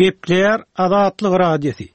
Gepleýär Azatlyk Radiosy.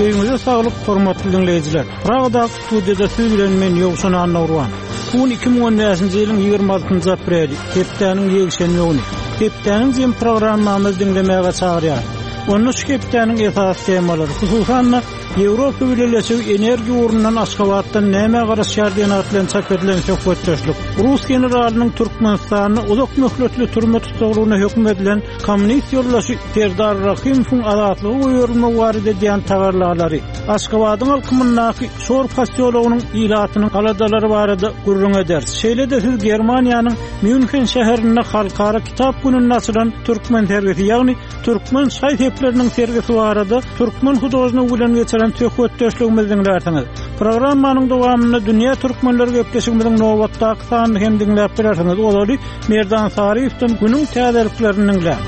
Öýüňize saglyk, hormatly diňleýjiler! Pragadaky studiýada siz bilen men Ýowşan Annagurban. Bu gün 2015-nji ýylyň 26-njy apreli, hepdäniň ýekşenbe güni. Hepdäniň jem programmamyzy diňlemäge çagyrýarys. Onda şu hepdäniň esasy temalary, hususan-da, Ýewropa Bileleşigi energiýa ugrundan Aşgabatdan nämä garaşýar diýen at bilen çap edilen söhbetdeşlik, rus generalynyň Türkmenistanda uzak möhletli türme tussaglygyna höküm edilen kommunist ýoldaşy Serdar Rahymowyň azatlyga goýberilmegi barada edýän tagallalary, Aşgabadyň alkymyndaky Şor posýologynyň ilatynyň aladalary barada gürrüň ederis. Şeýle-de siz Germaniýanyň Mýunhen şäherinde Halkara kitap gününde açylan türkmen sergisi, ýagny Türkmen şaý-sepleriniň sergisi barada türkmen hudožnigi bilen geçiren söhbetdeşligimizi diňlärsiňiz. Programmanyň dowamynda Dünýä türkmenleri gepleşigimiziň nobatdaky sanyny hem diňläp bilersiňiz. Ozaly Merdan Saryýewden günüň täzeliklerini diňläň.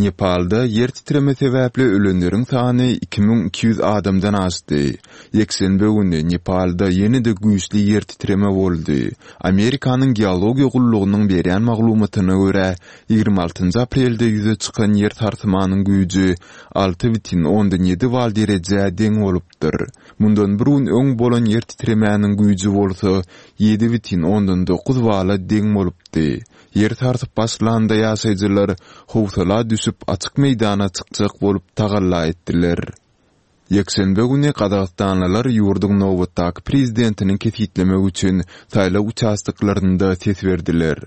Nepalda ýer titreme sebäpli ölenleriň sany 2200 adamdan aşdy. Ýekşenbe güni Nepalda ýene-de güýçli ýer titreme boldy. Amerikanyň Geologiýa gullugynyň berýän maglumatyna görä, 26 aprelde ýüze çykan ýer sarsymanyň güýji 6,7 bal derejä deň bolupdyr. Mundan bir gün öň bolan ýer titremäniň güýji bolsa 7,9 bala deň bolupdy. Ýer sarsyp başlanda ýaşaýjylar howsala düşüp açyk meýdana çykjak bolup tagalla etdiler. Ýekşenbe güni gazagystanlylar ýurduň nobatdaky prezidentini kesgitlemek üçin saýlaw uçastoklarynda ses berdiler.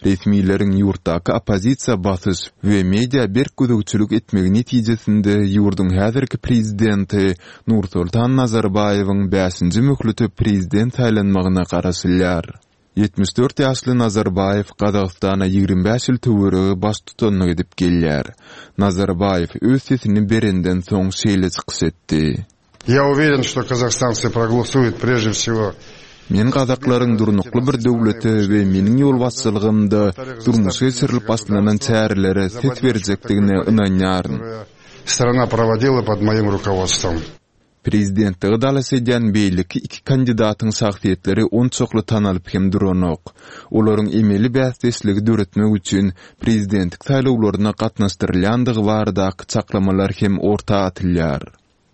Resmileriň ýurtdaky oppozisiýa basyş we media berk gözegçilik etmegi netijesinde ýurduň häzirki prezidenti Nursultan Nazarbaýewiň bäşinji möhlete prezident saýlanmagyna garaşylýar. 74 ýaşly Nazarbaýew Gazagystana 25 ýyl töweregi baştutanlyk edip gelýär. Nazarbaýew öz sesini berenden soň şeýle çykyş etdi. Я уверен, что казахстанцы проголосуют прежде всего Men gazaklaryň durnukly bir döwlete we meniň ýolbaşçylygymda durmuşa geçirilip başlanan çärelere ses berjekdigine ynanýaryn. Страна проводила под моим руководством. Prezidentlige dalaş edýän beýleki iki kandidatyň şahsyýetleri onçakly tanalyp hem duranok. Olaryň emeli bäsdeşligi döretmek üçin prezidentlik saýlawlaryna gatnaşdyrylýandygy baradaky çaklamalar hem orta atylýar.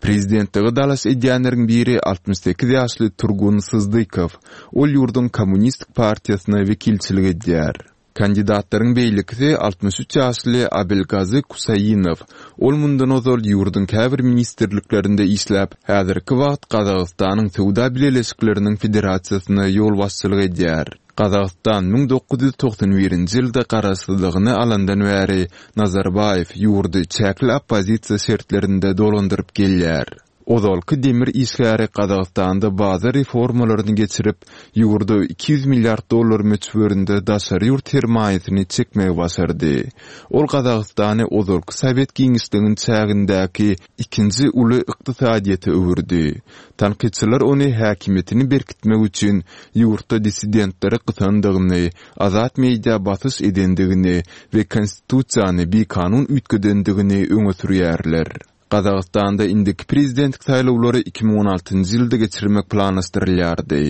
Prezidentlige dalaş edýänleriň biri 68 ýaşly Turgun Syzdykow. Ol ýurduň Kommunistik partiýasyna wekilçilik edýär. Kandidatlaryň beýlekisi 63 ýaşly Abelgazy Kusainow. Ol mundan ozal ýurduň käbir ministrliklerinde işläp, häzirki wagt Gazagystanyň Söwda bileleşikleriniň federasiýasyna ýolbaşçylyk edýär. Gazagystan 1991-nji ýylda garaşsyzlygyny alandan bäri Nazarbaýew ýurdy çäkli oppozisiýa şertlerinde dolandyryp gelýär. Ozalky demir işgäri Gazagystanda bazar reformalaryny geçirip, ýurda 200 milliard dollar möçberinde daşary ýurt sermaýasyny çekmegi başardy. Ol Gazagystany ozalky sowet giňişliginiň çägindäki ikinji uly ykdysadyýete öwürdi. Tankytçylar ony häkimiýetini berkitmek üçin ýurtda dissidentleri gysandygyny, azat media basyş edendigini we konstitusiýany bikanun üýtgedendigini öňe sürýärler. Gazagystanda indiki prezidentlik saýlawlary 2016-njy ýylda geçirmek planlaşdyrylýardy.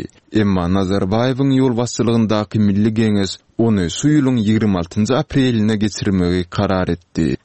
Emma Nazarbaýewiň ýolbaşçylygyndaky Milli Geňeş ony şu ýylyň 26-njy apreline geçirmegi karar etdi.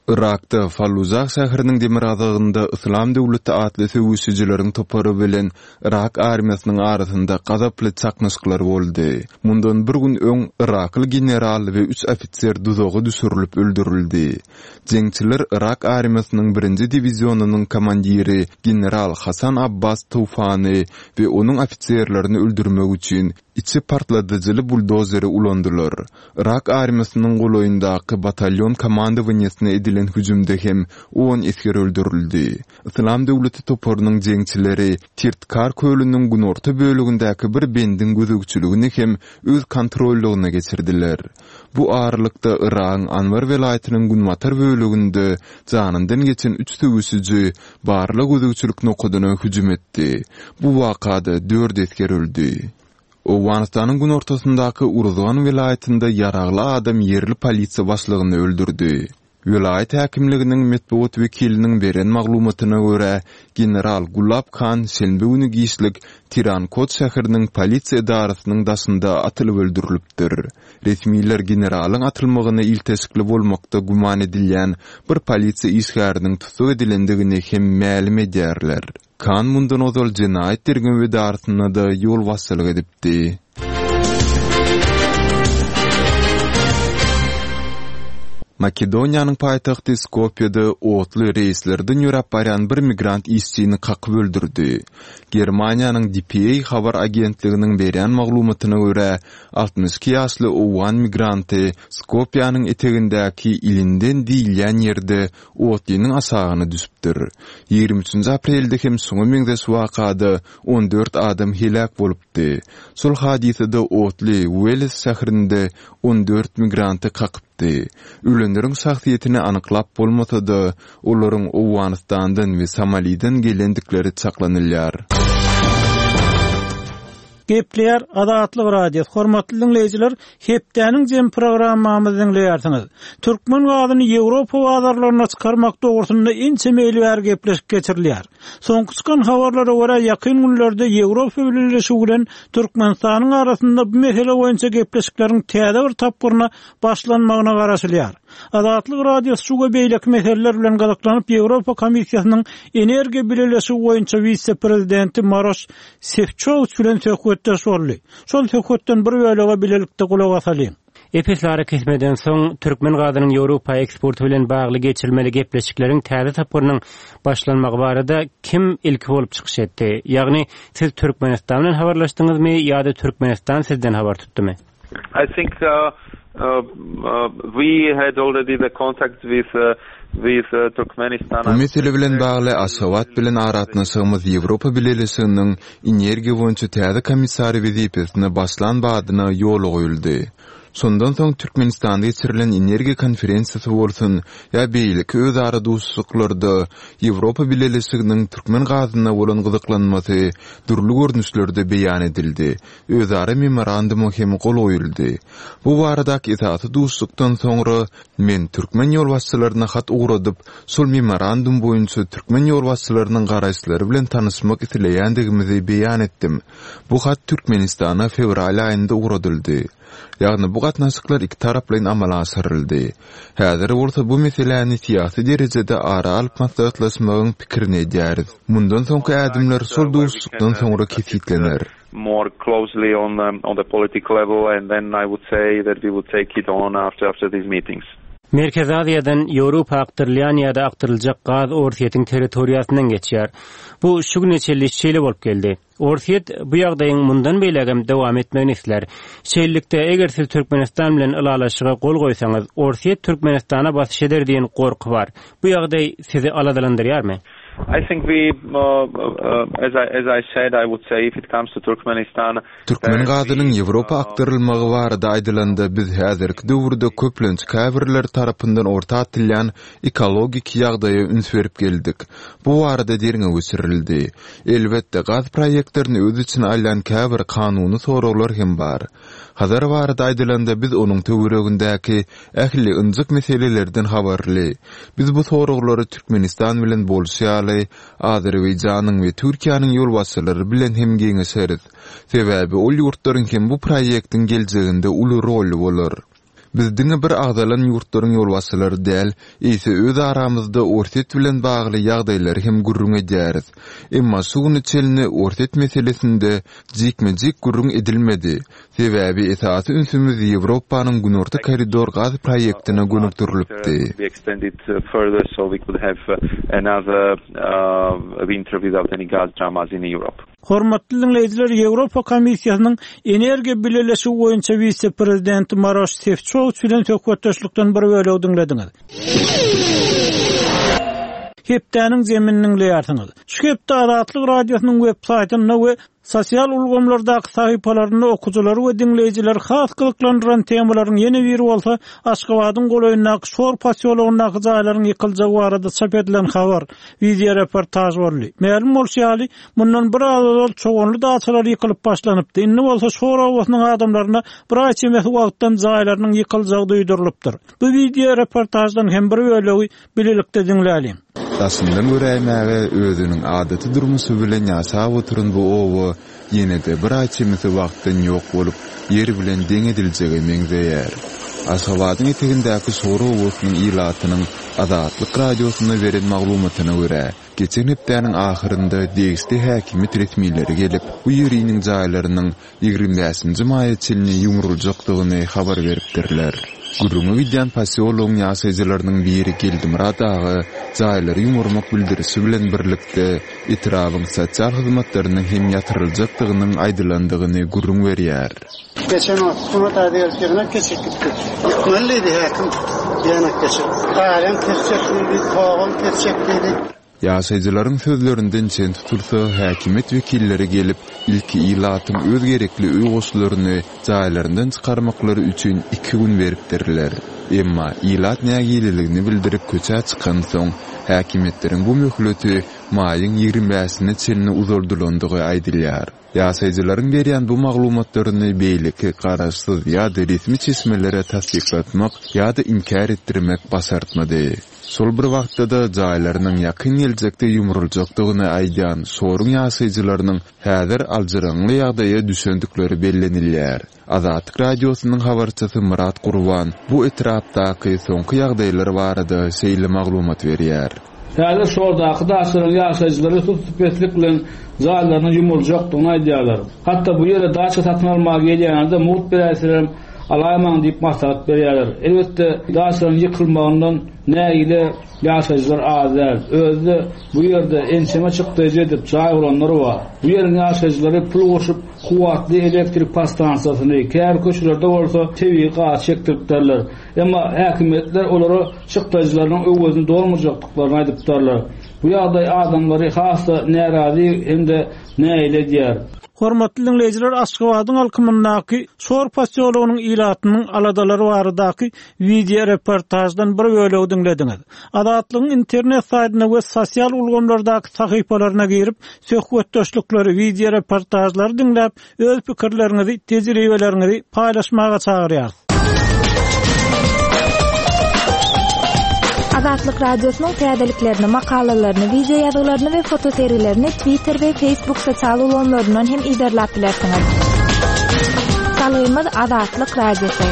Yrakda Fallujah şäheriniň demirgazygynda Yslam döwleti atly söweşijileriň topary bilen Yrak armiýasynyň arasynda gazaply çaknyşyklar boldy. Mundan bir gün öň yrakly general we üç ofiser duzaga düşürilip öldürildi. Jeňçiler Yrak armiýasynyň birinji diwizionynyň komandiri general Hasan Abbas Toufany we onuň ofiserlerini öldürmek üçin Içi partladyjyly buldozeri ulandylar. Yrak armiýasynyň golaýyndaky batalýon komandowaniýesine edilen hüjümde hem on esger öldürildi. Yslam döwleti toparynyň jeňçileri Tirtkar kölüniň günorta bölegindäki bir bendiň gözegçiligini hem öz kontrollygyna geçirdiler. Bu aralykda Yragyň Anbar welaýatynyň günbatar böleginde janyndan geçen üç söweşiji barlag-gözegçilik nokadyna hüjüm etdi. Bu wakada dört esger öldi. Owganystanyň günortasyndaky Uruzgan welaýatynda ýaragly adam ýerli polisiýa başlygyny öldürdi. Welaýat häkimliginiň metbugat wekiliniň beren maglumatyna görä, general Gulab Khan şenbe güni giçlik Tirankot şäheriniň polisiýa edarasynyň daşynda atylyp öldürilipdir. Resmiler generalyň atylmagyna ilteşikli bolmakda güman edilýän bir polisiýa işgäriniň tussag edilendigini hem mälim edýärler. Kan mundan ozal jenaýat derňew edarasynda-da ýolbaşçylyk edipdi. Makedoniýanyň paýtagty Skopýede otly reýslerden ýöräp barýan bir migrant işçini kakyp öldürdi. Germaniýanyň dpa habar agentliginiň berýän maglumatyna görä, 62 ýaşly owgan migranty Skopýanyň etegindäki Ilinden diýilýän ýerde otlynyň aşagyna düşüpdir. 23-nji aprelde hem şuňa meňzeş wakada 14 adam heläk bolupdy. Şol hadysada otly Weles şäherinde 14 migranty kakypdy. Ölenleriň şahsyýetini anyklap bolmasa-da, olaryň Owganystandan we Somaliden gelendikleri çaklanylýar. Gepleýär Azatlyk Radiosy, Hormatly diňleýjiler, hepdäniň jemi programmamyzy diňleýärsiňiz. Türkmen gazyny Ýewropa bazarlaryna çykarmak dogrusynda ençeme ýyl bäri gepleşik geçirilýär. Soňky çykan habarlara görä, ýakyn günlerde Ýewropa Bileleşigi bilen Türkmenistanyň arasynda bu mesele boýunça gepleşikleriň täze bir tapgyryna başlanmagyna garaşylýar. Azatlyk Radiosy şu we beýleki meseleler bilen gyzyklanyp, Ýewropa Komissiýasynyň Energiýa Bileleşigi boýunça wise-prezidenti Maroş Sefçowiç bilen söhbetdeş boldy. Şol söhbetden bir bölege bilelikde gulak asalyň. Ep-esli arakesmeden soň, türkmen gazynyň Ýewropa eksporty bilen bagly geçirilmeli gepleşikleriň täze tapgyrynyň başlanmagy barada kim ilki bolup çykyş etdi? Ýagny, siz Türkmenistan bilen habarlaşdyňyzmy ýa-da Türkmenistan sizden habar tutdumy? I think we had already the contact with with Turkmenistan. Bu mesele bilen bagly Aşgabat bilen aragatnaşygymyz Ýewropa Bileleşiginiň energiýa boýunça täze komissary wezipesine başlan badyna ýola goýuldy. Şondan soň Türkmenistanda geçirilen energiýa konferensiýasy bolsun ýa beýleki özara duşuşyklarda Ýewropa Bileleşiginiň türkmen gazyna bolan gyzyklanmasy dürli görnüşlerde beýan edildi Özara memoranduma hem gol goýuldy. Bu baradaky esasy duşuşykdan soňra men türkmen ýolbaşçylaryna hat ugradyp, şol memorandum boýunça türkmen ýolbaşçylarynyň garaýyşlary bilen tanyşmak isleýändigimizi beýan etdim. Bu hat Türkmenistana fewral aýynda ugradyldy. Ýagny bu gatnaşyklar ikitaraplaýyn amala aşyryldy. Häzir bolsa bu meseläni syýasy derejede ara alyp maslahatlaşmagyň pikirini edýäris. Mundan soňky ädimler şol duşuşykdan soňra kesgitlener. more closely on the, on the political level and then I would say that we would take it on after, after these meetings. Merkezi Aziýadan Ýewropa akdyrylýan ýa-da akdyryljak gaz Orsýetiň territoriýasyndan geçýär. Bu şu güne çenli şeýle bolup geldi. Orsýet bu ýagdaýyň mundan beýlägem dowam etmegini islär. Şeýlelikde, eger siz Türkmenistan bilen ylalaşyga gol goýsaňyz, Orsýet Türkmenistana basyş eder diýen gorky bar. Bu ýagdaý sizi aladalandyrýarmy? I think we, as I, as I said, I would say if it comes to Turkmenistan, Türkmen gazynyň Ýewropa akdyrylmagy barada aýdylanda, biz häzirki döwürde köplenç käbirleri tarapyndan orta atylýan ekologik ýagdaýa üns berip geldik. Bu barada derňew geçirildi. Elbetde, gaz proýektlerini öz içine alýan käbir kanuny soraglar hem bar. Hazar barada aýdylanda, biz onuň töweregindäki ähli ynjyk meselelerden habarly. Biz bu soraglary Türkmenistan bilen bolşy ýaly, Azerbaýjanyň we Türkiýäniň ýolbaşçylary bilen hem geňeşeris. Sebäbi ol ýurtlaryň hem bu proýektiň geljeginde uly roly bolar. Biz diňe bir agzalan ýurtlaryň ýolbaşçylary däl, eýse öz aramyzda Orsýet bilen bagly ýagdaýlary hem gürrüň edýäris. Emma şu güne çenli Orsýet meselesinde jikme-jik gürrüň edilmedi. Sebäbi esasy ünsümiz Ýewropanyň Günorta koridor gaz proýektine gönükdirilipdi. Hormatly diňleýjiler, Ýewropa Komissiýasynyň Energiýa Bileleşigi boýunça wise-prezidenti Maroş Sefçowiç bilen söhbetdeşlikden bir bölegi diňlediňiz. Hepdäniň zemini diňleýärsiňiz. Şu hepde Azatlyk Radiosynyň web saýtynda we. Sosial ulgamlardaky sahypalarynda okyjylary we diňleýjileri has gyzyklandyran temalaryň ýene biri bolsa Aşgabadyň golaýyndaky Şor posýologyndaky jaýlaryň ýykyljagy barada çap edilen habar, wideoreportaž boldy. Mälim bolşy ýaly, mundan bir az ozal Çoganly daçalary ýykylyp başlanypdy, indi bolsa Şor obasynyň adamlaryna bir aý çemesi wagtdan jaýlarynyň ýykyljagy duýdurylypdyr. Bu wideoreportaždan hem bir bölegi bilelikde diňläliň. Daşyndan göräýmäge özüniň adaty durmuşy bilen ýaşap oturan bu oba ýene-de bir aý çemesi wagtdan ýok bolup, ýer bilen deň ediljege meňzeýär. Aşgabadyň etegindäki Şor obasynyň ilatynyň Azatlyk Radiosyna beren maglumatyna görä, geçen hepdäniň ahyrynda degişli häkimiýet resmileri gelip, bu ýeriniň jaýlarynyň 25-nji maýa çenli ýumruljakdygyny habar beripdirler. Gürrüňi gidýän posýologyň ýaşaýjylarynyň biri Geldimyrat aga jaýlary ýumurmak bildirişi bilen birlikde, etrabyň sosial hyzmatlarynyň hem ýatyryljakdygynyň aýdylandygyny gürrüň berýär. Geçen wagt hökümet aýda gelip ýygnak geçirip gitdi. Ýykmaly diýdi häkim ýygnak geçirip. Gazam kesjek diýdi, togam kesjek diýdi. Ýaşaýjylaryň sözlerinden çen tutulsa, häkimiýet wekilleri gelip, ilki ilatyň öz gerekli öý goşlaryny jaýlaryndan çykarmaklary üçin iki gün beripdirler. Emma ilat nägileligini bildirip köçä çykansoň, häkimiýetleriň bu möhleti maýyň 25-ine çenli uzaldylandygy aýdylýar. Ýaşaýjylaryň berýän bu maglumatlaryny beýleki garaşsyz ýa-da resmi çeşmelere tassyklatmak ýa-da inkär etdirmek başartmady. Şol bir wagtda-da, jaýlarynyň ýakyn geljekde ýumruljakdygyny aýdýan Şoruň ýaşaýjylarynyň häzir aljyraňňy ýagdaýa düşendikleri bellenilýär. Azatlyk Radiosynyň habarçysy Myrat Gurban bu etrapdaky soňky ýagdaýlar barada şeýle maglumat berýär. Häzir Şordaky daçalaryň ýaşaýjylary sussupeslik bilen jaýlarynyň ýumruljakdygyny aýdýarlar. Hatda bu ýere daça satyn almaga gelýänlere-de mugt beräýselerem alaýmaň diýip maslahat berýärler. Elbetde, daçalaryň ýykylmagyndan nägile ýaşaýjylar az däl. Özi-de bu ýerde ençeme çykdaýjy edip jaý guranlar bar. Bu ýeriň ýaşaýjylary pul goşup kuwwatly elektrik podstansiýasyny, käbir köçelerde bolsa tebigy gaz çekdiripdirler. Emma häkimiýetler olara çykdaýjylarynyň öwezini dolmajakdyklaryny aýdypdyrlar. Bu ýagdaý adamlary has-da närazy hem-de nägile edýär. Hormatly diňleýjiler Aşgabadyň alkymyndaky Şor posýologynyň ilatynyň aladalary baradaky wideoreportaždan bir bölegi diňlediňiz. Azatlygyň internet saýtyna we sosial ulgamlardaky sahypalaryna girip, söhbetdeşlikleri, wideoreportažlary diňläp, öz pikirleriňizi, tejribeleriňizi paýlaşmaga çagyrýarys. Azatlyk Radiosynyň täzeliklerini, makalalaryny, wideo ýazgylaryny we fotosergilerini Twitter we Facebook sosial ulgamlaryndan hem yzarlap bilersiňiz. Salgymyz Azatlyk Radiosy.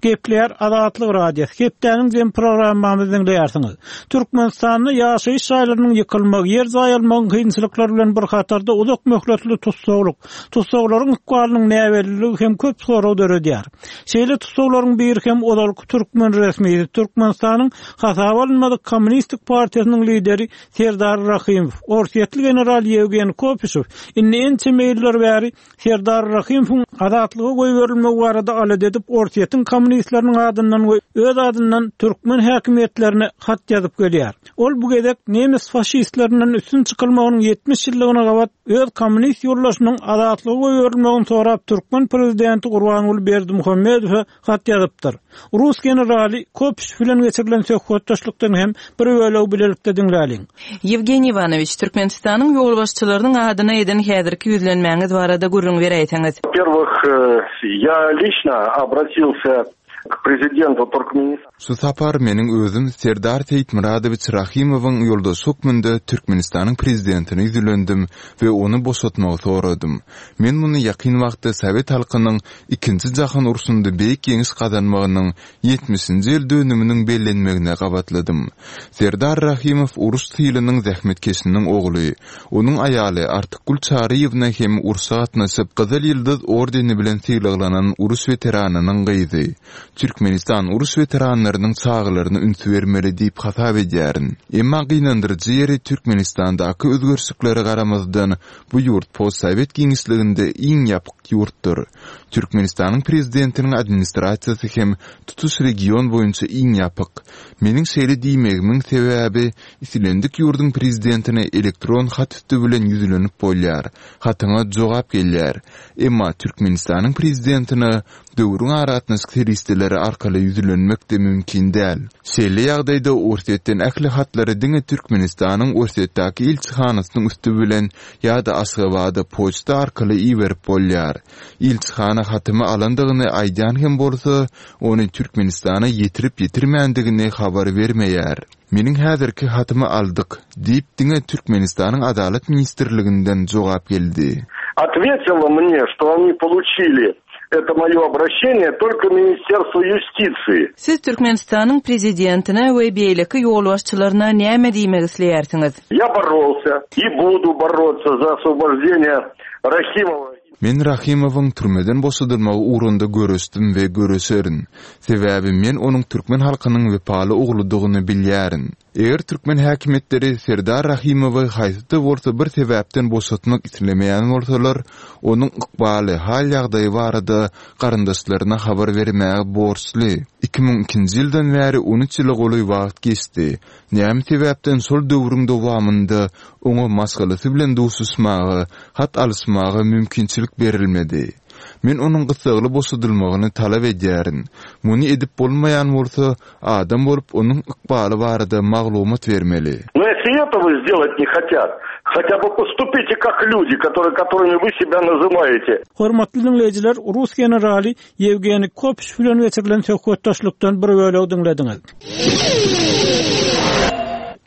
Gepleýär Azatlyk Radiosy. Hepdäniň jem programmamyzy diňleýärsiňiz. Türkmenistanda ýaşaýyş jaýlarynyň ýykylmagy, ýer jaý almagyň kynçylyklary bilen bir hatarda uzak möhletli tussaglyk, Tussaglaryň ykbalynyň näbelliligi hem köp sorag döredýär. Şeýle tussaglaryň biri hem ozalky türkmen resmisi, Türkmenistanyň hasaba alynmadyk Kommunistik partiýasynyň lideri Serdar Rahymow. Orsýetli general Ýewgeniý Kopyşew indi ençeme ýyllar bäri Serdar Rahymowyň azatlyga goýberilmegi barada alada edip, Orsýetiň kommunistleriniň adyndan we öz adyndan türkmen häkimiýetlerine hat ýazyp gelýär. Ol bu gezek nemes faşistlerinden üstün çykylmagynyň 70 ýyllygyna gabat öz kommunist ýoldaşynyň azatlyga goýberilmegini sorap türkmen prezidenti Gurbanguly Berdimuhamedowa hat ýazypdyr. Rus generaly Kopyşew bilen geçirilen söhbetdeşlikden hem bir bölegi bilelikde diňläliň. Ýewgeniý Iwanowiç, Türkmenistanyň ýolbaşçylarynyň adyna eden häzirki ýüzlenmäňiz barada gürrüň beräýseňiz. Во-первых, я лично обратился k prezidentu Turkmenistan. Şu sapar meniň özüm Serdar Seýitmyradowiç Rahymowyň ýoldaşy hökmünde Türkmenistanyň Prezidentine ýüzlendim we ony boşatmagy soradym. Men muny ýakyn wagtda sowet halkynyň Ikinji jahan urşunda beýik ýeňiş gazanmagynyň ýetmişinji ýyl dönüminiň bellenmegine gabatladym. Serdar Rahymow uruş tylynyň zähmetkeşiniň ogly. Onuň aýaly Artykgül Çaryýewna hem urşa gatnaşyp, Gyzyl Ýyldyz ordeni bilen sylaglanan uruş weteranynyň gyzy. Türkmenistan uruş weteranlarynyň çagalaryna üns bermeli diýip hasap edýärin. Emma gynandyryjy ýeri Türkmenistandaky özgerişliklere garamazdan, bu ýurt postsowet giňişliginde iň ýapyk ýurtdur. Türkmenistanyň prezidentiniň administrasiýasy hem tutuş region boýunça iň ýapyk. Meniň şeýle diýmegimiň sebäbi, islendik ýurduň prezidentine elektron hat üsti bilen ýüzlenip bolýar, hatyňa jogap gelýär. Emma Türkmenistanyň prezidentine döwrüň aragatnaşyk serişdeleri arkaly ýüzlenmek-de mümkin däl. Şeýle ýagdaýda Orsýetden ähli hatlary diňe Türkmenistanyň Orsýetdäki ilçihanasynyň üsti bilen ýa-da Aşgabada poçta arkaly iberip bolýar. Ilçihana hatymy alandygyny aýdýan hem bolsa, ony Türkmenistana ýetirip-ýetirmändigini habar bermeýär. Meniň häzirki hatymy aldyk diýip diňe Türkmenistanyň Adalat ministrliginden jogap geldi. Otwetilo mne, çto oni poluçili eto moýo obraşeniýe tolko Ministerstwo ýustisiýi. Siz Türkmenistanyň Prezidentine we beýleki ýolbaşçylaryna näme diýmek isleýärsiňiz? Ýa borolsya i budu borotsa za oswoboždeniýe Rahimowa. Men Rahymowyň türmeden boşadylmagy ugrunda göreşdim we göreşerin. Sebäbi men onuň türkmen halkynyň wepaly ogludygyny bilýärin. Eger türkmen häkimiýetleri Serdar Rahymowy haýsy-da bolsa bir sebäpden boşatmak islemeýän bolsalar, onuň ykbaly, hal-ýagdaýy barada garyndaşlaryna habar bermäge borçly. 2002-nji ýyldan bäri on üç ýyla golaý wagt geçdi. Näme sebäpden şol döwrüň dowamynda oňa maşgalasy bilen duşuşmaga, hat alyşmaga mümkinçilik berilmedi? Men onuň gyssagly boşadylmagyny talap edýärin. Muny edip bolmaýan bolsa, adam bolup onuň ykbaly barada maglumat bermeli. No ýesli etogo sdelat ne hotýat, hotýa by postupite kak lýudi, kotorye kotorymi wy sebýa nazywaýete. Hormatly diňleýjiler, rus generaly Ýewgeniý Kopş bilen geçirilen söhbetdeşlikden bir bölegi diňlediňiz.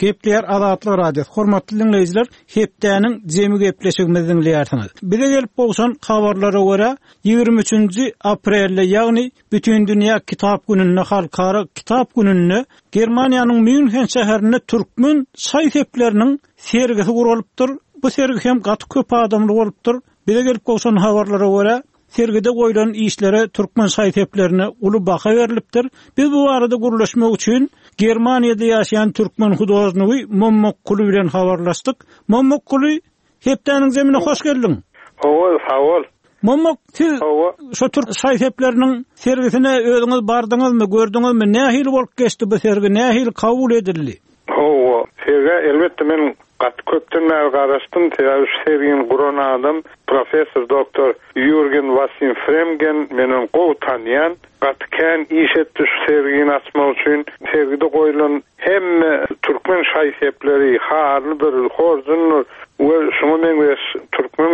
Gepleýär Azatlyk Radiosy. Hormatly diňleýjiler, hepdäniň jemi gepleşigimizi diňleýärsiňiz. Bize gelip gowşan habarlara görä, 23-nji aprelde, ýagny Bütindünýä kitap gününde, Halkara kitap gününde Germaniýanyň Mýunhen şäherinde türkmen şaý-sepleriniň sergisi guralypdyr. Bu sergi hem gaty köp adamly bolupdyr. Bize gelip gowşan habarlara görä, Sergide goýlan işlere türkmen şaý-seplerine uly baha berlipdir. Biz bu barada gürleşmek üçin Germaniýada ýaşaýan türkmen hudožnigi Mommak Kuly bilen habarlaşdyk. Mommak Kuly, hepdäniň zemine hoş geldiň! Hawa, sag bol. Mommak, siz şu türk şaý-sepleriniň sergisine özüňiz bardyňyzmy, gördüňizmi? Nähili bolup geçdi bu sergi, nähili kabul edildi? Hawa, sergä elbetde men gaty köpden bäri garaşdym, sebäbi şu sergini guran adam professor doktor Ýurgen Wasim Fremgen, men ony gowy tanýan, gaty kän iş etdi şu sergini açmak üçin. Sergide goýlan hemme türkmen şaý-sepleri, halydyr, horjundyr we şuňa meňzeş türkmen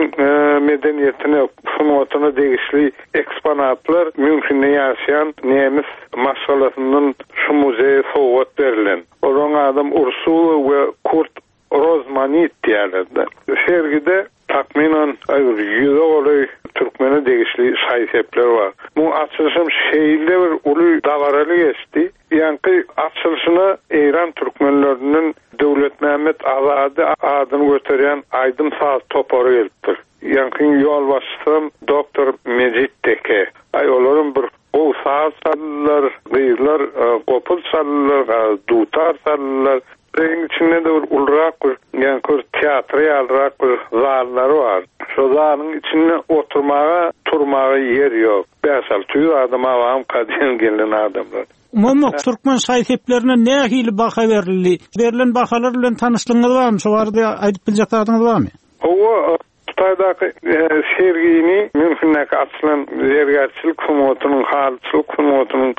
medeniýetine, sungatyna degişli eksponatlar Mýunhende ýaşaýan nemis maşgalasyndan şu muzeýe sowgat berlen. Olaryň adam Ursula we Kurt Rozmanit diýýärler-de. Sergide takmynan bir ýüze golaý türkmene degişli şaý-sepler bar. Muň açylyşam şeýle bir uly dabaraly geçdi. Ýaňky açylyşyna Eýran türkmenlerinden Döwletmämmet Azady adyny göterýän aýdym-saz topary gelipdir. Ýaňkyň ýolbaşçysam doktor Mejit Teke. Aý olaram bir gowy saz çaldylar, gyzlar gopuz çaldylar, dutar çaldylar. Muzeýiň içinde-de bir ulurak bir ýaňky bir teatr ýalyrak bir zallary bar. Şo zalyň içinde oturmaga, turmaga ýer ýok. 5-600 adam abamyka diýen gelen adamlar. Umuman, türkmen şaý-seplerine nähili baha berildi? Berlen bahalar bilen tanyşlygyňyz barmy? Şo barada aýdyp biljek zadyňyz barmy? Hawa, Hytaýdaky sergini Mýunhendäki açylan zergärçilik sungatynyň, halyçylyk sungatynyň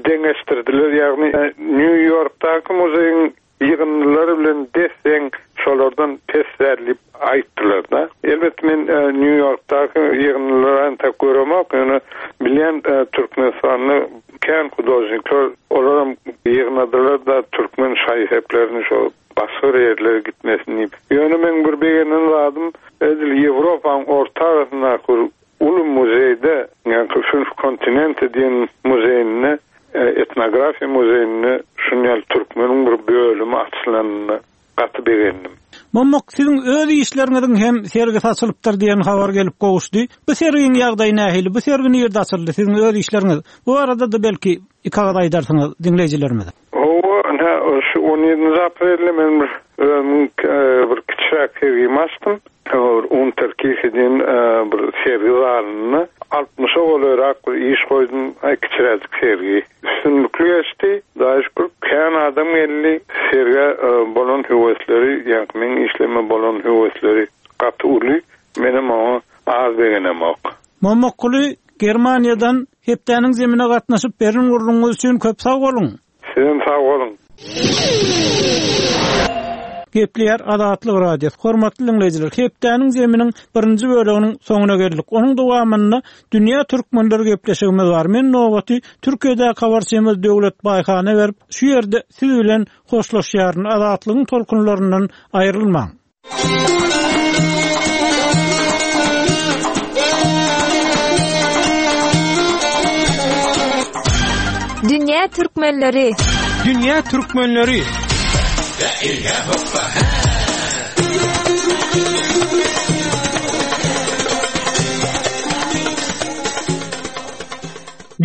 deňeşdirdiler. Ýagny Nýu-Ýorkdaky muzeýiň ýygyndylary bilen des-deň, şolardan pes däl diýip aýtdylar-da. Elbetde, men Nýu-Ýorkdaky ýygyndylary entek göremok, ýöne bilýän Türkmenistanda kän hudožnikler, olaram ýygnadylar-da türkmen şaý-seplerini şo Başga bir ýerlere gitmesin diýip. Ýöne meň bir begenen zadym, edil Ýewropanyň orta arasyndaky bir uly muzeýde, ýaňky Fünf Kontinente diýen muzeýinde, etnografiýa muzeýinde şuny ýaly türkmeniň bir bölümi açylanyna gaty begendim. Mommak, siziň öz işleriňiziň hem sergisi açylypdyr diýen habar gelip gowuşdy. Bu sergiň ýagdaýy nähili? Bu sergi nirde açyldy? Siziň öz işleriňiz. Bu barada-da belki iki agyz aýdarsyňyz diňleýjilerimize. Hawa, ynha, şu on ýedinji aprelde men bir özümiň bir kiçiräk sergimi açdym. Bir Unterkirche diýen bir sergi zalynda altmyşa golaýrak bir iş goýdum, kiçiräjik sergi. Üstünlikli geçdi. Hudaýa şükür, kän adam geldi. Sergä bolan höwesleri, ýaňky meň işlerime bolan höwesleri gaty uly. Menem oňa az begenemok. Mommakguly, Germaniýadan Hepdäniň zemine gatnaşyp beren gürrüňiňiz üçin köp sag boluň! Sizem sag boluň! Gepleýär Azatlyk Radiosy. Hormatly diňleýjiler, Hepdäniň zeminiň birinji böleginiň soňuna geldik. Onuň dowamynda Dünýä türkmenleri gepleşigimiz bar. Men nobaty Türkiýedäki habarçymyz Döwlet Baýhana berip, şu ýerde siz bilen hoşlaşýaryn. Azatlygyň tolkunlaryndan aýrylmaň. Dünýä türkmenleri. Dünýä türkmenleri.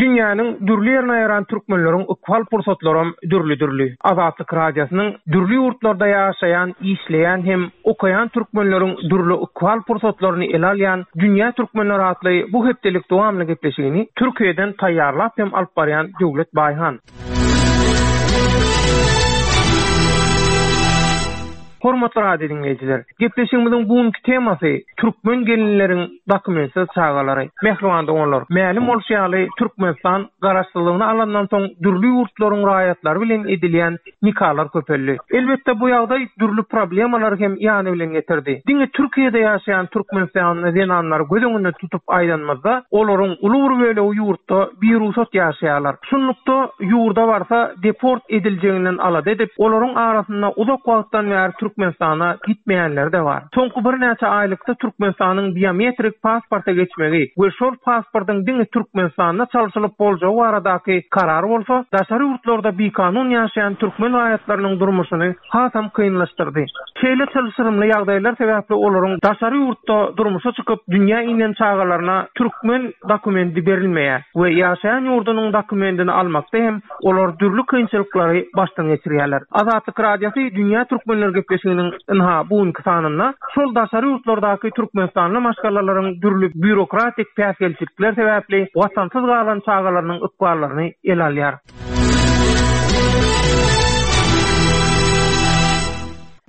Dünýäniň dürli ýerine ýaýran türkmenleriň ykbal pursatlaram dürli-dürli. Azatlyk Radiosynyň dürli ýurtlarda ýaşaýan, işleýän hem okaýan türkmenleriň dürli ykbal pursatlaryny ele alýan Dünýä türkmenleri atly bu hepdelik dowamly gepleşigini Türkiýeden taýýarlap hem alyp barýan Döwlet Baýhan. Hormatly radio diňleýjiler! Gepleşigimiziň bu günki temasy türkmen gelinleriň dokumentsiz çagalary. Mähriban doganlar, mälim bolşy ýaly, Türkmenistan Garaşsyzlygyny alandan soň dürli ýurtlaryň raýatlary bilen edilýän nikalar köpeldi. Elbetde, bu ýagdaý dürli problemalary hem ýany bilen getirdi. Diňe Türkiýede ýaşaýan türkmenistanly zenanlary göz öňünde tutup aýdanymyzda, olaryň uly bir bölegi ýurtda birugsat ýaşaýarlar. Şunlukda, ýurda barsa deport ediljeginden alada edip, olaryň arasynda uzak wagtdan bäri Türkmenistana gitmeýänleri-de bar. Soňky birnäçe aýlykda Türkmenistanyň biometrik pasporta geçmegi we şol pasportyň diňe Türkmenistanda çalşylyp boljagy baradaky karar bolsa, daşary ýurtlarda bikanun ýaşaýan türkmen raýatlarynyň durmuşyny hasam kynlaşdyrdy. Şeýle çylşyrymly ýagdaýlar sebäpli olaryň daşary ýurtda durmuşa çykyp, dünýä inen çagalaryna türkmen dokumendi berilmeýär we ýaşaýan ýurdunyň dokumendini almakda hem olar dürli kynçylyklary başdan geçirýärler. Azatlyk Radiosy Dünýä Türkmenleri gepleşiginiň ynha bu günki sanynda şol daşary ýurtlardaky türkmenistanly maşgalalaryň dürli býurokratik päsgelçilikler sebäpli watansyz galan çagalarynyň ykballaryny ele alýar.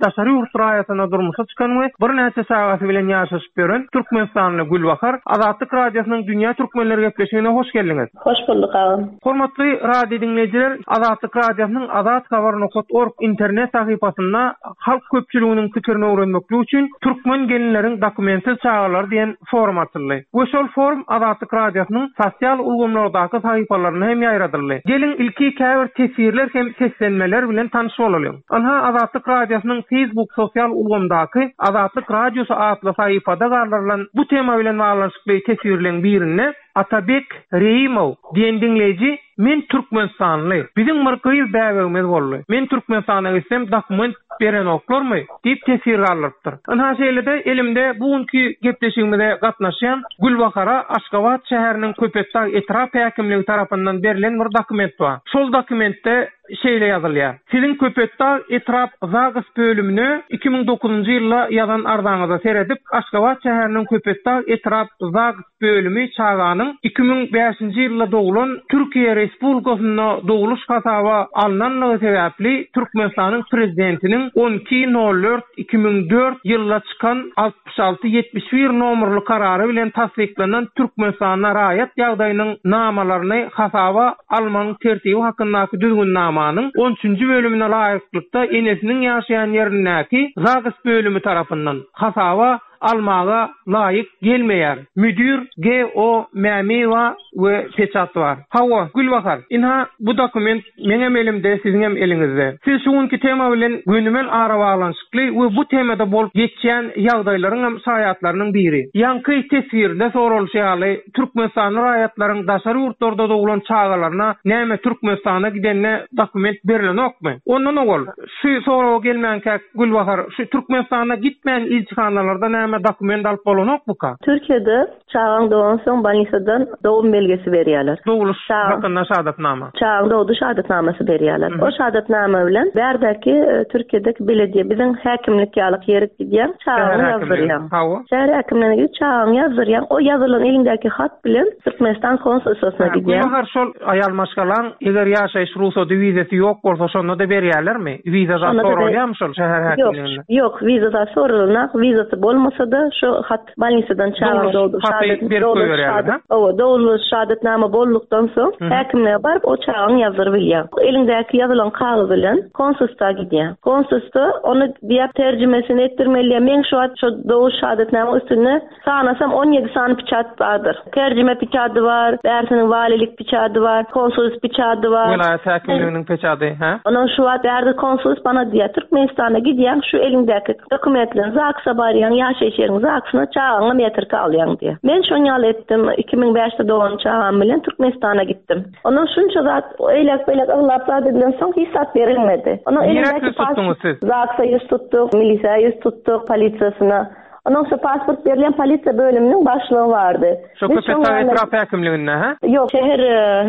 Daşary ýurt raýatyna durmuşa çykan we birnäçe çagasy bilen ýaşaşyp ýören türkmenistanly Gülbahar Azatlyk Radiosynyň Dünýä Türkmenleri gepleşigine hoş geldiňiz. Hoş bulduk agam. Hormatly radio diňleýjiler, Azatlyk Radiosynyň Azathabar nokat org internet sahypasynda halk köpçüliginiň pikirini öwrenmeklik üçin Türkmen gelinleriň dokumentsiz çagalary diýen forum açyldy we şol forum Azatlyk Radiosynyň sosial ulgamlardaky sahypalarynda hem ýaýradyldy. Geliň ilki käbir teswirler hem seslenmeler bilen tanyş bolalyň. Ynha Azatlyk Radiosynyň Facebook sosial ulgamdaky Azatlyk Radiosy atly sahypada galdyrylan bu tema bilen baglanyşykly teswirleň birinde Atabek Reýimow diýen diňleýji Men türkmenistanly. Biziň bir gyz bäbegimiz boldy. Men Türkmenistana gitsem dokument berenoklarmy? diýip teswir galdyrypdyr. Ynha şeýle-de elimde bu günki gepleşigimize gatnaşýan Gülbahara Aşgabat şäheriniň Köpetdag etrap häkimligi tarapyndan berlen bir dokument bar. Şol dokumentde şeýle ýazylýar, Siziň Köpetdag etrap ZAGS bölümine 2009-njy ýylda ýazan arzaňyza seredip, Aşgabat şäheriniň Köpetdag etrap ZAGS bölümi çaganyň 2005-nji ýylda doglan Türkiýe Respublikasynda dogluş hasaba alnanlygy sebäpli Türkmenistanyň Prezidentiniň 12 nol dört 2004 ýylda çykan 66 71 nomerli Karary bilen tassyklanan Türkmenistanda raýat ýagdaýynyň namalaryny hasaba almagyň tertibi hakyndaky Düzgünnamanyň on üçünji bölümine laýyklykda enesiniň ýaşaýan ýerindäki ZAGS bölümi tarapyndan hasaba. almaga laýyk gelmeýär. Müdir GO. Mämiýewa we peçat bar. Hawa, Gülbahar, ynha, bu dokument meňem elimde, siziňem eliňizde. Siz şu günki tema bilen gönümel arabaglanyşykly we bu temada bolup geçýän ýagdaýlaryňam şaýatlarynyň biri. Ýaňky teswirde soralyşy ýaly, türkmenistanly raýatlaryň daşary ýurtlarda doglan çagalaryna näme Türkmenistana gidende dokument berlenokmy? Ondan owal, şu soraga gelmänkäk, Gülbahar, şu Türkmenistana gitmän ilçihanalarda näme dokument alyp bolanokmyka? Türkiýede Çagaň dogansoň bolnisadan dogum belgesi berýärler. Dogluş hakynda şahadatnama. Çagaň dogdy şahadatnamasy berýärler. O şahadatnama bilen bärdäki Türkiýedeki belediýe biziň häkimlik ýalyk ýerik gidýäň, çagaňy ýazdyrýaň. Hawa. Şäher häkimligine gidip çagaňy ýazdyrýaň. O ýazylan eliňdäki hat bilen Türkmenistan konsulstwasyna gidýäň. Gülbahar şol aýal maşgalaň eger ýaşaýyş rugsady wizasy ýok bolsa şonda-da berýärlermi? Wiza zat soralýarmy şol şäher häkimliginde? Ýok, ýok wiza zat soralanok. Wizasy bolmasa-da şo hat Bolnisadan çagaň dogdy. Haty berip goýberýärler, hä? Hawa, dogluş şahadatnama boldukdan soň, häkimlige baryp, o çagaňy ýazdyryp bilýäň. Eliňdäki ýazylan kagyz bilen konsulstwa gidýäň. Konsulstwa ony diýýär, terjimesini etdirmeli diýýär. Meň şu wagt şo dogluş şahadatnamyň üstünde sanasam 17 sany piçat bardyr. Terjime piçady bar, bärsiniň walilik piçady bar, konsulst piçady bar. Welaýat häkimliginiň peçady, hä? Ondan şu wagt bärde konsulst bana diýýär, Türkmenistana gidýäň, şu eliňdäki Dokumentleň ZAGS-a barýaň, ýaşaýyş ýeriň ZAGS-yna çagaňa metrika alýaň diýýär. Men şoň ýaly etdim, 2005-de dogan çagam bilen Türkmenistana gitdim. Ondan şunça zat eýläk-beýläk yglap zat edilensoň hiç zat berilmedi. Ondan Nirä ýüz tutduňyz siz? ZAGS-a ýüz tutduk, milisiýa ýüz tutduk, polisiýasyna. Ondan şu pasport berilýän polisiýa bölüminiň başlygy bardy. Şu Köpetdag etrap häkimliginde, hä? Ýok, şäher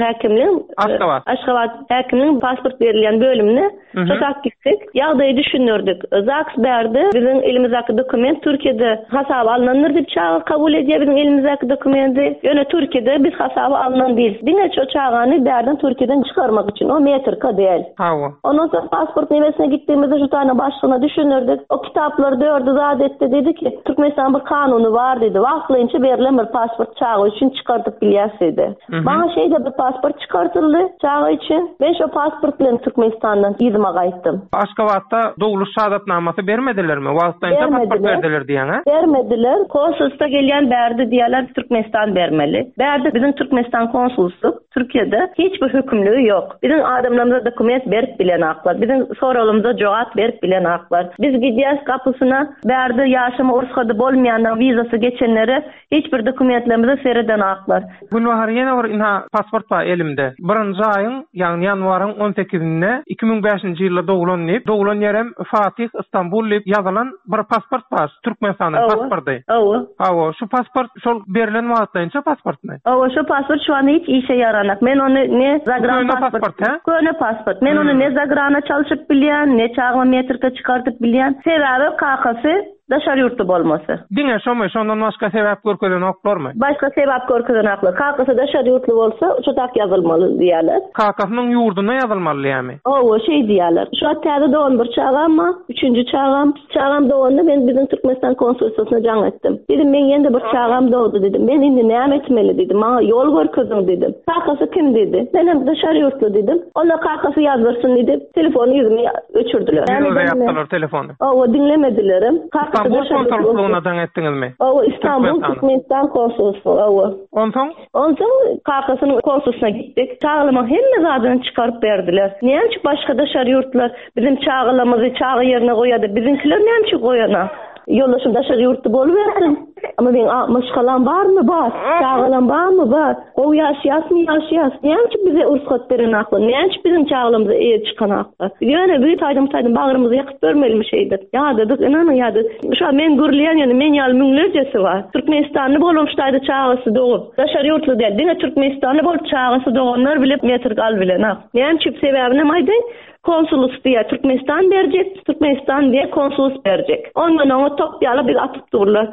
häkimligiň Aşgabat. Aşgabat häkimligiň pasport berilýän bölümine Şo tak gitdik. Ýagdaýy düşündirdik. ZAGS bärde biziň elimizdäki dokument Türkiýede hasaba alnandyr diýip çaga kabul edýär biziň elimizdäki dokumenti. Ýöne Türkiýede biz hasaba alnan diýil. Diňe şo çagany bärden Türkiýeden çykarmak üçin. O metrika däl. Hawa. Ondan soň pasport nemesine gitdigimizde şu tane başlygyna düşündirdik. O kitaplary dördi zat etdi diýdi ki, Türkmenistanyň bir kanuny bar diýdi. Wagtlaýynça berlen bir pasport çaga üçin çykardyp bilýäs diýdi. Maňa şeýle bir pasport çykartyldy çaga üçin. Men şo pasport bilen Türkmenistandan yzyma gaýtdym. Aşgabatda dogluş şahadatnamasy bermedilermi? Wagtlaýynça pasport berdiler diýýäň, hä? Bermediler. Konsulstwa gelýän bärde diýýärler Türkmenistan bermeli. Bärde biziň Türkmenistan konsulstwk Türkiýede hiç bir hökümligi ýok. Biziň adamlarymyza dokument berip bilenaklar. Biziň soraglarymyza jogap berip bilenaklar. Biz gidýäs gapysyna bärde ýaşama rugsady bolmaýanlaryň wizasy geçenlere Hiç bir dokumentlerimize seredenaklar. Günbahar ýene bir ynha pasport bar elimde. Birinji aýyň, ýagny ýanwaryň on sekizinde 2005-nji ýylda doglan diýip, doglan ýerem Fatih, Istanbul diýip ýazylan bir pasport bar, Türkmenistanyň pasporty. Hawa. Hawa, şu pasport şol berlen wagtlaýynça pasportmy? Hawa, şu pasport şu anda hiç işe ýaranak. Men ony ne zagran Köne pasport, hä? Köne pasport. Men ony ne zagrana çalşyp bilýän, ne çagama metrika çykardyp bilýän. Sebäbi kakasy Daşary ýurtly bolmasy. Diňe şomy, şondan başga sebäp görkezenoklarmy? Başga sebäp görkezenoklar. Kakasy daşary ýurtly bolsa, şu tak ýazylmaly diýýärler. Kakasynyň ýurdunda ýazylmaly diýýärmi? Hawa, şeý diýýärler. Şu wagt täze dogan bir çagam bar, üçünji çagam. Çagam doganda men biziň Türkmenistan konsulstwasyna jaň etdim. Diýdim, meň ýene-de bir çagam dogdy diýdim. Men indi näme etmeli diýdim. Maňa ýol görkeziň diýdim. Kakasy kim diýdi. Menem daşary ýurtly diýdim. Onda kakasy ýazdyrsyn diýdi. Telefony ýüzüme öçürdiler. Ýüzüňize ýapdylar telefony. Hawa, diňlemedilerem. Istanbul konsolslygyna jaň etdiňizmi? Hawa, Istanbul Türkmenistan konsolslygy, hawa. Onsoň? Onsoň kakasynyň konsulsyna gitdik. Çagalamyň hemme zadyny çykaryp berdiler. Näme üçin başga daşary ýurtlar biziň çagalamyzy çaga ýerine goýýar-da, biziňkiler näme üçin goýanak? Ýoldaşym daşary ýurtda bolubersin. Amma meň maşgalam barmy? Bar. Çagalam barmy? Bar. Gowy ýaşaýasmy? Ýaşaýas. Näme üçin bize rugsat berenaklar? Näme üçin biziň çagalarymyza eýe çykanaklar? Biz ýöne bir taýdan bu taýdan bagrymyzy ýakyp görmelimi şeýdip? Ýadadyk, ynanyň ýadadyk. Şu wagt men gürleýän ýöne men ýaly müňlercesi bar. Türkmenistanly bolum şu taýda çagasy dogup. Daşary ýurtly däl, diňe türkmenistanly bolup çagasy doganlar bile metrik al bilenak. Näme üçin sebäbinem aýdaýyn. Konsulus diýýär Türkmenistan berjek, Türkmenistan diýýär konsulus berjek. Ondan oňa top ýaly biz atyp durlar.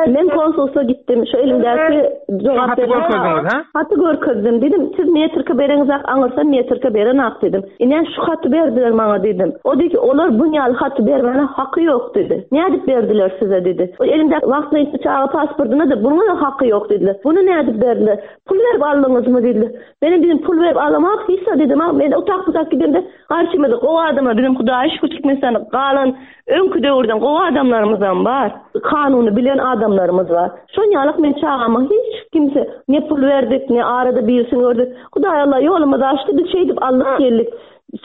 Men konsulsa gitdim, şu elimdäki jogap Haty görkezdiňiz, hä? Haty görkezdim, diýdim, siz metrika bereňizak, aňyrsa metrika berenak diýdim. Ine şu haty berdiler maňa diýdim. O diýdi ki, olar bun ýaly haty bermäne haky ýok diýdi. Nädip berdiler size diýdi. O elimdäki wagtlaýynça çaga pasportyna-da bunuň-da haky ýok diýdiler. Buny nädip berdiler? Pul berip aldyňyzmy diýdiler. Menem diýdim, pul berip alamok, hiç zat diýdim, men otak-butak gidemde garşy. Ilkimiz gowy adamlar, bizem Hudaýa şükür Türkmenistanda galan öňki döwürden gowy adamlarymyzam bar. Kanuny bilen adamlarymyz bar. Şon ýalyk men çagama hiç kimse ne pul berdik, ne arada birisini gördük. Hudaý Allah ýolumyzy açdy, biz şeýdip aldyk geldik.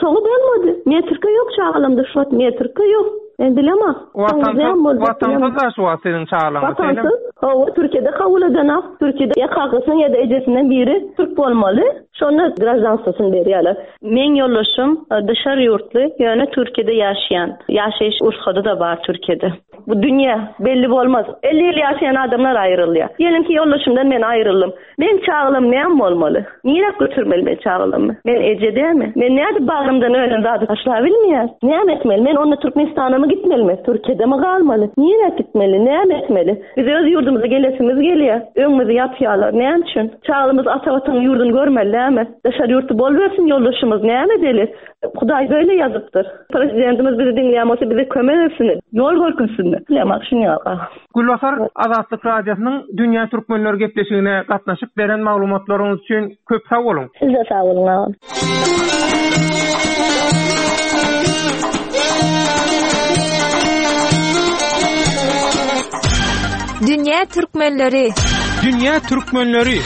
Soňy bolmady. Metrika ýok çagalamda şu wagt metrika ýok. Men bilemok. Watansyz, watansyz da şu wagt siziň çagalaryňyz. Watansyz. Hawa, Türkiýede kabul edenok. Türkiýede ýa kakasynyň ýa-da ejesinden biri türk bolmaly. Şonda graždanstwosyny berýärler. Meň ýoldaşym daşary ýurtly, ýöne Türkiýede ýaşaýan. Ýaşaýyş rugsady-da bar Türkiýede. Bu dünýe belli bolmaz. 50 ýyl ýaşaýan adamlar aýrylýar. Diýelim ki, ýoldaşymdan men aýryldym. Meň çagalam näme bolmaly? Nirä götürmeli men çagalamy? Men eje dälmi? Men nädip bagrymdan ölen zady taşlabilmeýän? Näme etmeli? Men onda Türkmenistanamy gitmelimi? Türkiýedemi galmaly? Nirä gitmeli? Näme etmeli? Biz öz ýurdumyza gelesimiz gelýär. Öňümizi ýapýarlar. Näme üçin? Çagalarymyz ata watanyň ýurduny görmeli dälmi? Daşary ýurtda bolubersin ýoldaşymyz. Näme edeli? Hudaý beýle ýazypdyr. Prezidentimiz bizi diňleýän bolsa bize kömek etsin. Ýol görkezsin. Bilemok şuny ýaly. Gülbahar, Azatlyk Radiosynyň Dünýä Türkmenleri gepleşigine gatnaşyp beren maglumatlaryňyz üçin köp sag boluň! Siz-de sag boluň agam. Dünýä Türkmenleri! Dünýä Türkmenleri!